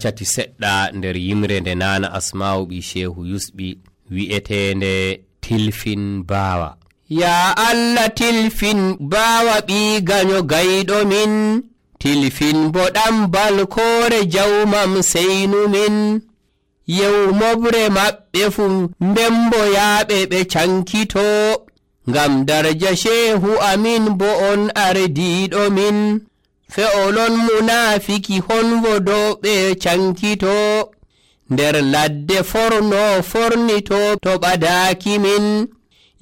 cati seɗɗa nder yimre nde nana Asma'u ɓi Shehu Yusɓi wi'etende tilfin bawa. Ya Allah tilfin bawa ɓi ganyo gayɗo min, tilfin boɗam balkore jawmam seynu min. Yew mobre maɓɓe fu ndembo yaaɓe ɓe cankito, ngam darja Shehu amin bo on ardiɗo min. Fe'olon munafiki honwodoɓe cankito, nder ladde forno fornito to ɓadaki min.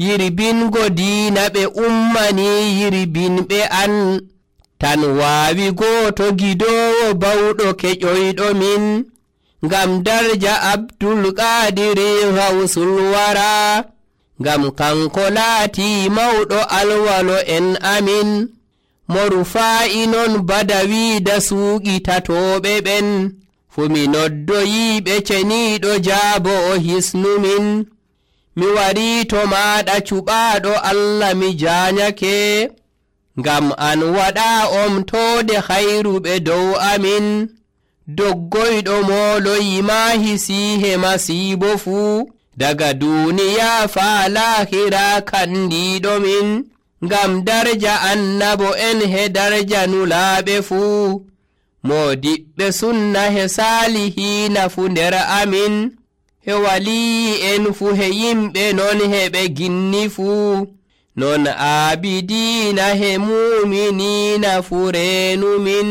Yirbingo diina ɓe ummani yirbinɓe an, tan waawi gooto gidowo bawɗo keƴoyɗo min. Ngam darja Abdul Qadiri Gawsul Wara, ngam kanko laati mawɗo alwalo en amin. Mo Rufa'i non Badawi da suuƙi tatoɓe ɓen, fu mi noddoyiɓe ceniiɗo jaabo o hisnu min. Mi warii to maaɗa cuɓaaɗo Allah mi jaanyake, ngam an waɗa omtoode hayruɓe dow amin. Doggoyɗo mooloyi maahi siihe masiibo fuu, daga duuniya faa laahira kandiiɗo min. Ngam darja annabo en he darja nulaaɓe fuu, moodiɓɓe sunna he saalihiina fu nder amin. He walii en fu he yimɓe non he ɓe ginni fuu, non aabidiina he muuminiina fu reenu min.